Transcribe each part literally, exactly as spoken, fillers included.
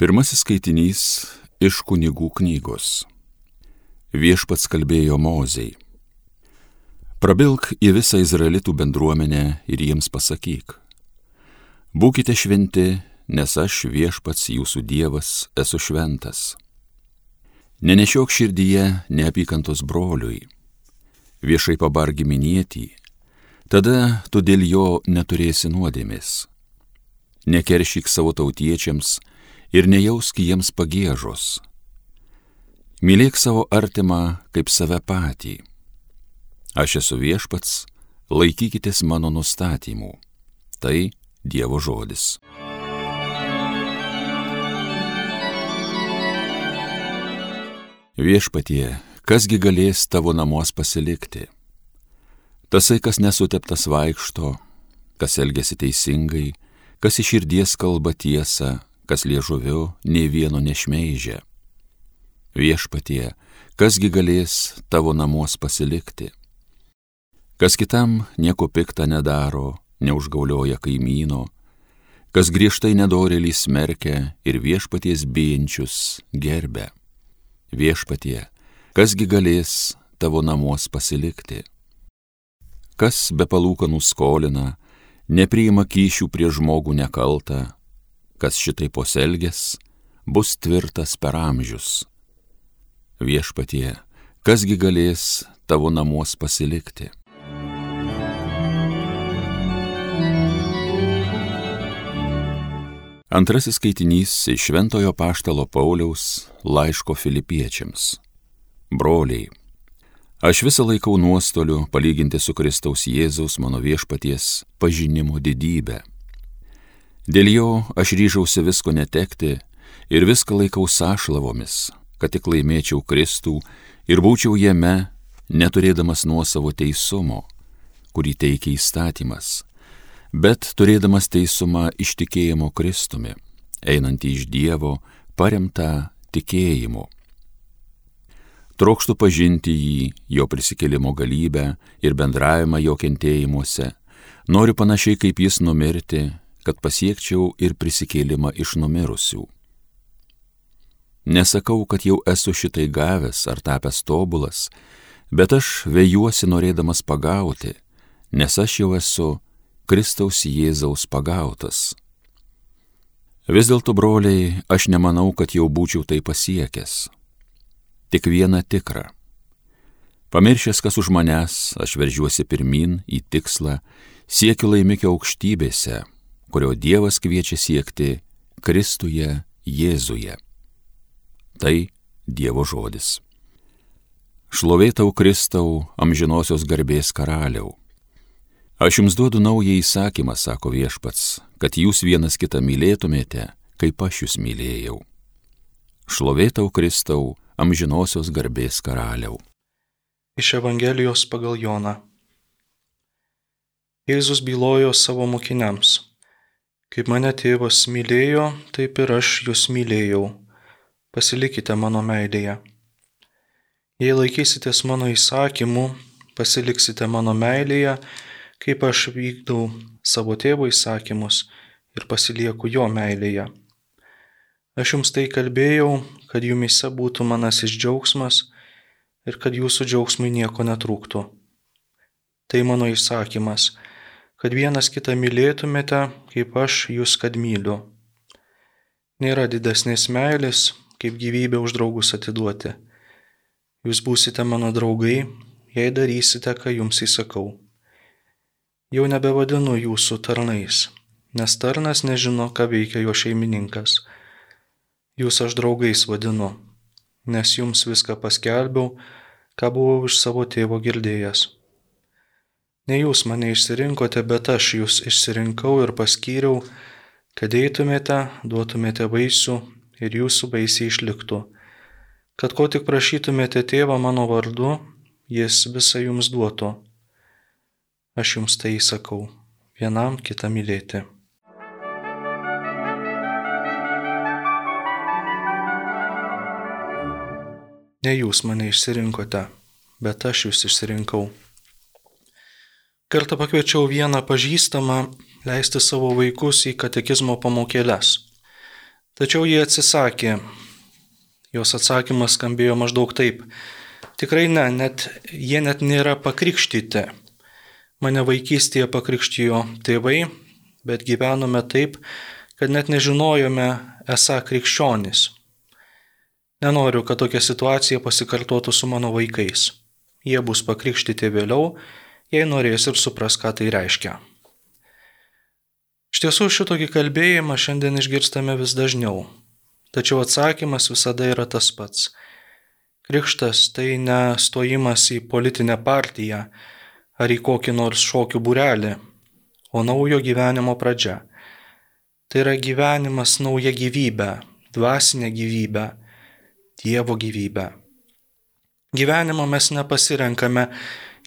Pirmasis skaitinys iš Kunigų knygos. Viešpats kalbėjo Mozei. Prabilk į visą izraelitų bendruomenę ir jiems pasakyk. Būkite šventi, nes aš Viešpats jūsų Dievas esu šventas. Nenešiok širdyje neapykantos broliui. Viešai pabark giminietį, tada tu dėl jo neturėsi nuodėmės. Nekeršyk savo tautiečiams ir nejausk jiems pagiežos. Mylėk savo artimą kaip save patį. Aš esu Viešpats, laikykitės mano nustatymų. Tai Dievo žodis. Viešpatie, kasgi galės tavo namuos pasilikti? Tasai, kas nesuteptas vaikšto, kas elgiasi teisingai, kas iš širdies kalba tiesą, kas liežuviu nė vieno nešmeižia. Viešpatie, kasgi galės tavo namuos pasilikti? Kas kitam nieko pikta nedaro, neužgaulioja kaimyno, kas griežtai nedorėlį smerkia ir viešpaties bijančius gerbia. Viešpatie, kasgi galės tavo namuos pasilikti? Kas be palūkanų skolina, nepriima kyšių prie žmogų nekaltą, kas šitai poselgės, bus tvirtas per amžius. Viešpatie, kasgi galės tavo namuos pasilikti? Antrasis skaitinys iš Šventojo Apaštalo Pauliaus laiško Filipiečiams. Broliai, aš visą laikau nuostoliu palyginti su Kristaus Jėzaus mano Viešpaties pažinimo didybę. Dėl jo aš ryžausi visko netekti ir viską laikau sąšlavomis, kad tik laimėčiau Kristų ir būčiau jame, neturėdamas nuosavo teisumo, kurį teikia įstatymas, bet turėdamas teisumą iš tikėjimo Kristumi, einantį iš Dievo, paremtą tikėjimu. Trokštu pažinti jį, jo prisikėlimo galybę ir bendravimą jo kentėjimuose, noriu panašiai kaip jis numirti, kad pasiekčiau ir prisikėlimą iš numirusių. Nesakau, kad jau esu šitai gavęs ar tapęs tobulas, bet aš vejuosi norėdamas pagauti, nes aš jau esu Kristaus Jėzaus pagautas. Vis dėlto, broliai, aš nemanau, kad jau būčiau tai pasiekęs. Tik viena tikra. Pamiršęs, kas už manęs, aš veržiuosi pirmin į tikslą, siekiu laimikio aukštybėse, kurio Dievas kviečia siekti Kristuje Jėzuje. Tai Dievo žodis. Šlovė tau, Kristau, amžinosios garbės karaliau. Aš jums duodu naują įsakymą, sako Viešpats, kad jūs vienas kitą mylėtumėte, kaip aš jūs mylėjau. Šlovė tau, Kristau, amžinosios garbės karaliau. Iš Evangelijos pagal Joną. Jėzus bylojo savo mokiniams. Kaip mane tėvas mylėjo, taip ir aš jūs mylėjau. Pasilikite mano meilėje. Jei laikysitės mano įsakymų, pasiliksite mano meilėje, kaip aš vykdau savo tėvo įsakymus ir pasilieku jo meilėje. Aš jums tai kalbėjau, kad jumyse būtų manasis džiaugsmas ir kad jūsų džiaugsmui nieko netrūktų. Tai mano įsakymas, kad vienas kitą mylėtumėte, kaip aš jūs kad myliu. Nėra didesnės meilės, kaip gyvybę už draugus atiduoti. Jūs būsite mano draugai, jei darysite, ką jums įsakau. Jau nebevadinu jūsų tarnais, nes tarnas nežino, ką veikia jo šeimininkas. Jūs aš draugais vadinu, nes jums viską paskelbiau, ką buvau iš savo tėvo girdėjęs. Ne jūs mane išsirinkote, bet aš jūs išsirinkau ir paskyriau, kad eitumėte, duotumėte vaisių ir jūsų vaisiai išliktų. Kad ko tik prašytumėte tėvą mano vardu, jis visą jums duotų. Aš jums tai įsakau, vienam kitą mylėti. Ne jūs mane išsirinkote, bet aš jūs išsirinkau. Kartą pakviečiau vieną pažįstamą leisti savo vaikus į katekizmo pamokėles. Tačiau jie atsisakė. Jos atsakymas skambėjo maždaug taip. Tikrai ne, net, jie net nėra pakrikštyti. Mane vaikystėje pakrikštijo tėvai, bet gyvenome taip, kad net nežinojome esą krikščionys. Nenoriu, kad tokia situacija pasikartotų su mano vaikais. Jie bus pakrikštyti vėliau, jei norės ir supras, ką tai reiškia. Iš tiesų šitokį kalbėjimą šiandien išgirstame vis dažniau, tačiau atsakymas visada yra tas pats. Krikštas tai ne stojimas į politinę partiją ar į kokį nors šokių būrelį, o naujo gyvenimo pradžia. Tai yra gyvenimas nauja gyvybė, dvasinė gyvybė, Dievo gyvybė. Gyvenimo mes nepasirenkame,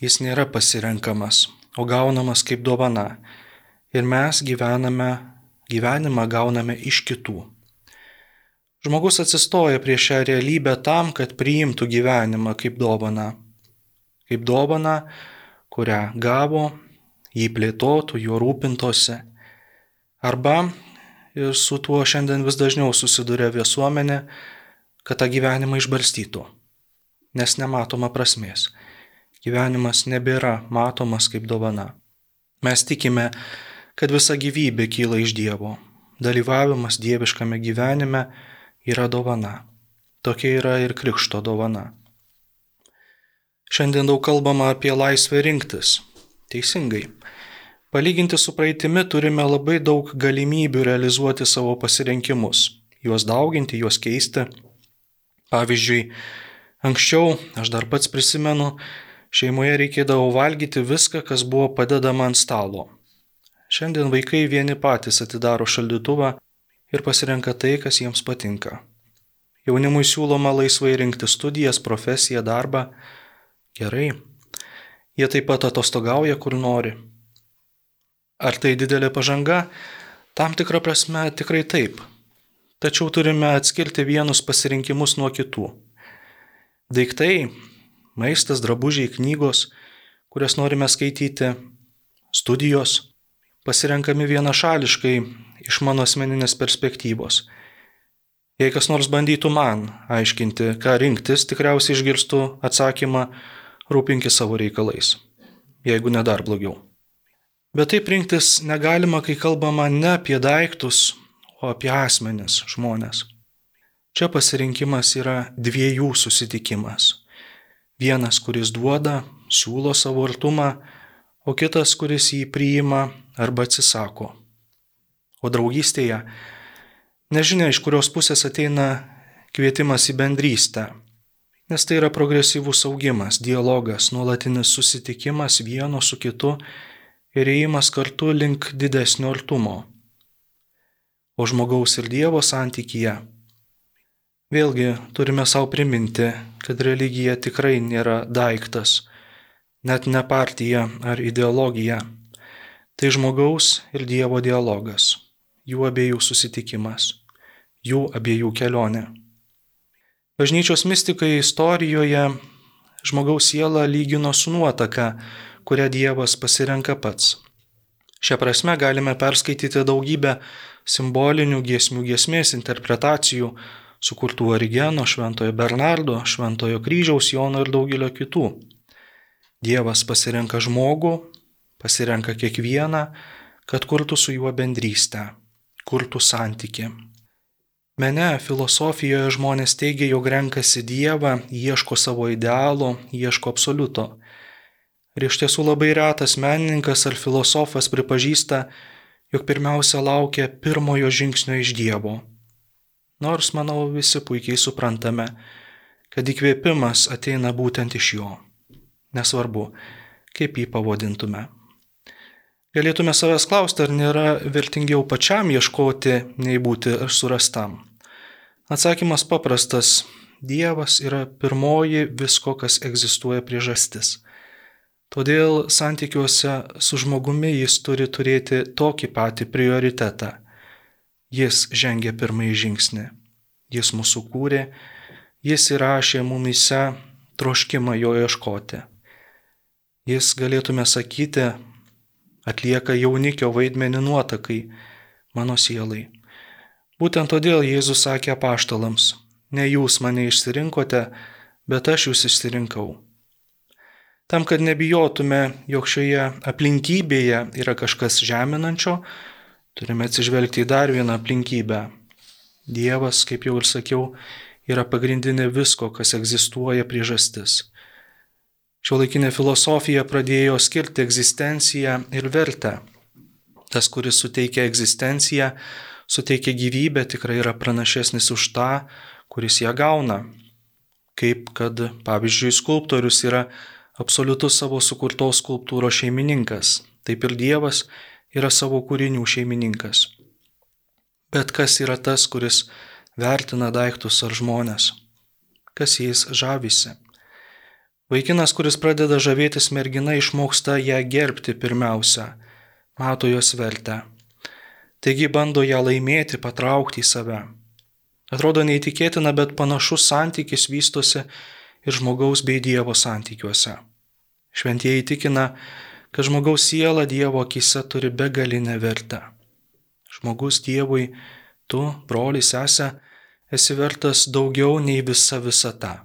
jis nėra pasirenkamas, o gaunamas kaip dovana. Ir mes gyvename, gyvenimą gauname iš kitų. Žmogus atsistoja prieš šią realybę tam, kad priimtų gyvenimą kaip dovaną. Kaip dovaną, kurią gavo, jį plėtotų, juo rūpintosi. Arba, ir su tuo šiandien vis dažniau susiduria visuomenė, kad tą gyvenimą išbarstytų, nes nematoma prasmės. Gyvenimas nebėra matomas kaip dovana. Mes tikime, kad visa gyvybė kyla iš Dievo. Dalyvavimas dieviškame gyvenime yra dovana. Tokia yra ir krikšto dovana. Šiandien daug kalbama apie laisvę rinktis. Teisingai. Palyginti su praeitimi turime labai daug galimybių realizuoti savo pasirinkimus, juos dauginti, juos keisti. Pavyzdžiui, anksčiau, aš dar pats prisimenu, šeimoje reikėdavo valgyti viską, kas buvo padedama ant stalo. Šiandien vaikai vieni patys atidaro šaldytuvą ir pasirenka tai, kas jiems patinka. Jaunimui siūloma laisvai rinkti studijas, profesiją, darbą. Gerai. Jie taip pat atostogauja, kur nori. Ar tai didelė pažanga? Tam tikra prasme tikrai taip. Tačiau turime atskirti vienus pasirinkimus nuo kitų. Daiktai, maistas, drabužiai, knygos, kurias norime skaityti, studijos, pasirenkami vienašališkai iš mano asmeninės perspektyvos. Jei kas nors bandytų man aiškinti, ką rinktis, tikriausiai išgirstu atsakymą rūpinkis savo reikalais, jeigu ne dar blogiau. Bet taip rinktis negalima, kai kalbama ne apie daiktus, o apie asmenis, žmonės. Čia pasirinkimas yra dviejų susitikimas. Vienas, kuris duoda, siūlo savo artumą, o kitas, kuris jį priima arba atsisako. O draugystėje nežinia, iš kurios pusės ateina kvietimas į bendrystę, nes tai yra progresyvus augimas, dialogas, nuolatinis susitikimas vieno su kitu ir ėjimas kartu link didesnio artumo. O žmogaus ir Dievo santykyje. Vėlgi turime savo priminti, kad religija tikrai nėra daiktas, net ne partija ar ideologija. Tai žmogaus ir Dievo dialogas, jų abiejų susitikimas, jų abiejų kelionė. Bažnyčios mistikai istorijoje žmogaus sielą lygino su nuotaka, kurią Dievas pasirenka pats. Šią prasme galime perskaityti daugybę simbolinių giesmių giesmės interpretacijų, sukurtų Origeno, Šventojo Bernardo, Šventojo Kryžiaus, Jono ir daugelio kitų. Dievas pasirenka žmogų, pasirenka kiekvieną, kad kurtų su juo bendrystę, kurtų santykį. Mene, filosofijoje žmonės teigia, jog renkasi Dievą, ieško savo idealo, ieško absoliuto. Ir iš tiesų labai retas menininkas ar filosofas pripažįsta, jog pirmiausia laukia pirmojo žingsnio iš Dievo. Nors, manau, visi puikiai suprantame, kad įkvėpimas ateina būtent iš jo. Nesvarbu, kaip jį pavadintume. Galėtume savęs klausti, ar nėra vertingiau pačiam ieškoti, nei būti surastam. Atsakymas paprastas. Dievas yra pirmoji visko, kas egzistuoja priežastis. Todėl santykiuose su žmogumi jis turi turėti tokį patį prioritetą. Jis žengė pirmąjį žingsnį. Jis mūsų kūrė, jis įrašė mumyse troškimą jo ieškoti. Jis, galėtume sakyti, atlieka jaunikio vaidmenį nuotakai, mano sielai. Būtent todėl Jėzus sakė apaštalams: ne jūs mane išsirinkote, bet aš jūs išsirinkau. Tam, kad nebijotume, jog šioje aplinkybėje yra kažkas žeminančio, turime atsižvelgti į dar vieną aplinkybę. Dievas, kaip jau ir sakiau, yra pagrindinė visko, kas egzistuoja priežastis. Šiuolaikinė filosofija pradėjo skirti egzistenciją ir vertę. Tas, kuris suteikia egzistenciją, suteikia gyvybę, tikrai yra pranašesnis už tą, kuris ją gauna. Kaip kad, pavyzdžiui, skulptorius yra absoliutus savo sukurtos skulptūros šeimininkas, taip ir Dievas yra savo kūrinių šeimininkas. Bet kas yra tas, kuris vertina daiktus ar žmones? Kas jais žavisi? Vaikinas, kuris pradeda žavėtis mergina, išmoksta ją gerbti pirmiausia, mato jos vertę. Taigi bando ją laimėti, patraukti į save. Atrodo neįtikėtina, bet panašus santykis vystosi ir žmogaus bei Dievo santykiuose. Šventieji tikina, kad žmogaus siela Dievo akyse turi begalinę vertę. Žmogus Dievui, tu, broli, sese, esi vertas daugiau nei visa visata.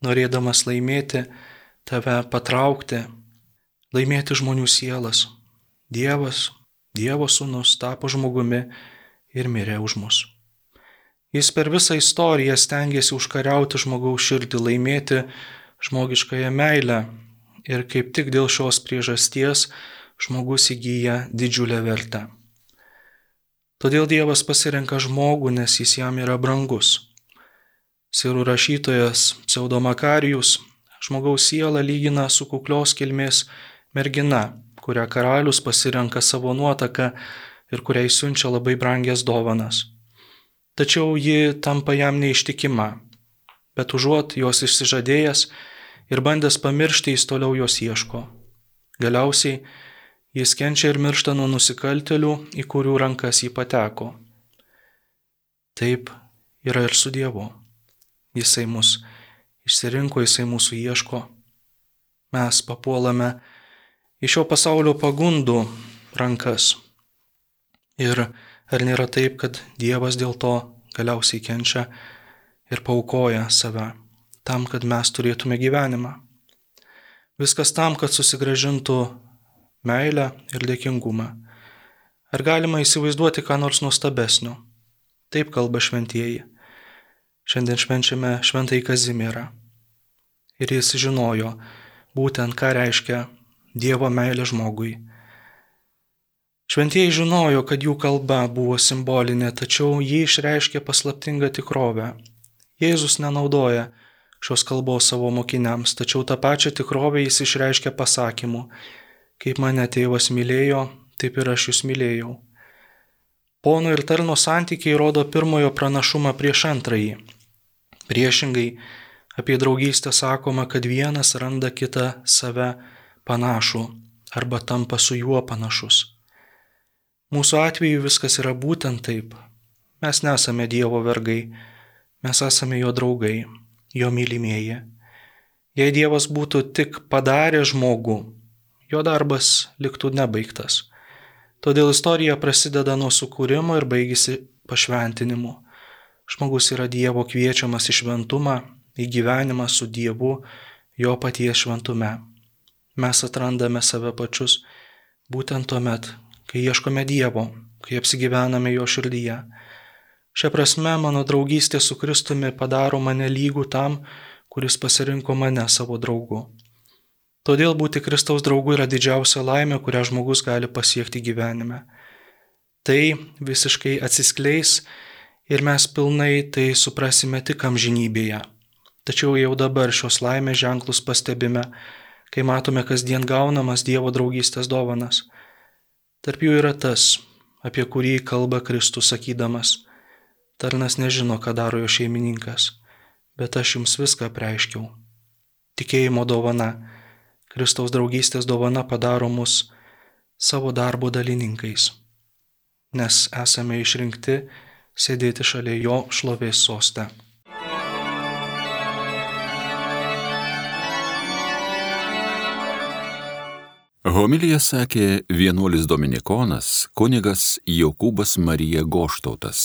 Norėdamas laimėti, tave patraukti, laimėti žmonių sielas, Dievas, Dievo sūnus tapo žmogumi ir mirė už mus. Jis per visą istoriją stengiasi užkariauti žmogaus širdį, laimėti žmogiškąją meilę ir kaip tik dėl šios priežasties žmogus įgyja didžiulę vertę. Todėl Dievas pasirenka žmogų, nes jis jam yra brangus. Sirų rašytojas Pseudomakarijus žmogaus sielą lygina su kuklios kilmės mergina, kurią karalius pasirenka savo nuotaką ir kuriai siunčia labai brangias dovanas. Tačiau ji tampa jam neištikima, bet užuot jos išsižadėjęs ir bandęs pamiršti, jis toliau jos ieško. Galiausiai jis kenčia ir miršta nuo nusikaltėlių, į kurių rankas jį pateko. Taip yra ir su Dievu. Jisai mus išsirinko, jisai mūsų ieško. Mes papuolame į šio pasaulio pagundų rankas. Ir ar nėra taip, kad Dievas dėl to galiausiai kenčia ir paaukoja save tam, kad mes turėtume gyvenimą? Viskas tam, kad susigrąžintų meilę ir dėkingumą. Ar galima įsivaizduoti ką nors nuostabesnio? Taip kalba šventieji. Šiandien švenčiame šventąjį Kazimierą. Ir jis žinojo būtent, ką reiškia Dievo meilė žmogui. Šventieji žinojo, kad jų kalba buvo simbolinė, tačiau jį išreiškė paslaptingą tikrovę. Jėzus nenaudoja šios kalbos savo mokiniams, tačiau tą pačią tikrovę jis išreiškė pasakymu: kaip mane tėvas mylėjo, taip ir aš jūs mylėjau. Pono ir tarno santykiai rodo pirmojo pranašumą prieš antrąjį. Priešingai, apie draugystę sakoma, kad vienas randa kitą save panašų arba tampa su juo panašus. Mūsų atveju viskas yra būtent taip. Mes nesame Dievo vergai, mes esame jo draugai, jo mylimieji. Jei Dievas būtų tik padaręs žmogų, jo darbas liktų nebaigtas. Todėl istorija prasideda nuo sukūrimo ir baigėsi pašventinimu. Žmogus yra Dievo kviečiamas į šventumą, į gyvenimą su Dievu, jo paties šventume. Mes atrandame save pačius būtent tuomet, kai ieškome Dievo, kai apsigyvename jo širdyje. Šia prasme, mano draugystė su Kristumi padaro mane lygų tam, kuris pasirinko mane savo draugu. Todėl būti Kristaus draugu yra didžiausia laimė, kurią žmogus gali pasiekti gyvenime. Tai visiškai atsiskleis ir mes pilnai tai suprasime tik amžinybėje. Tačiau jau dabar šios laimės ženklus pastebime, kai matome kasdien gaunamas Dievo draugystės dovanas. Tarp jų yra tas, apie kurį kalba Kristus sakydamas: tarnas nežino, ką daro jo šeimininkas, bet aš jums viską apreiškiau. Tikėjimo dovana, Kristaus draugystės dovana padaro mus savo darbo dalininkais, nes esame išrinkti sėdėti šalia jo šlovės soste. Homiliją sakė vienuolis dominikonas kunigas Jokūbas Marija Goštautas.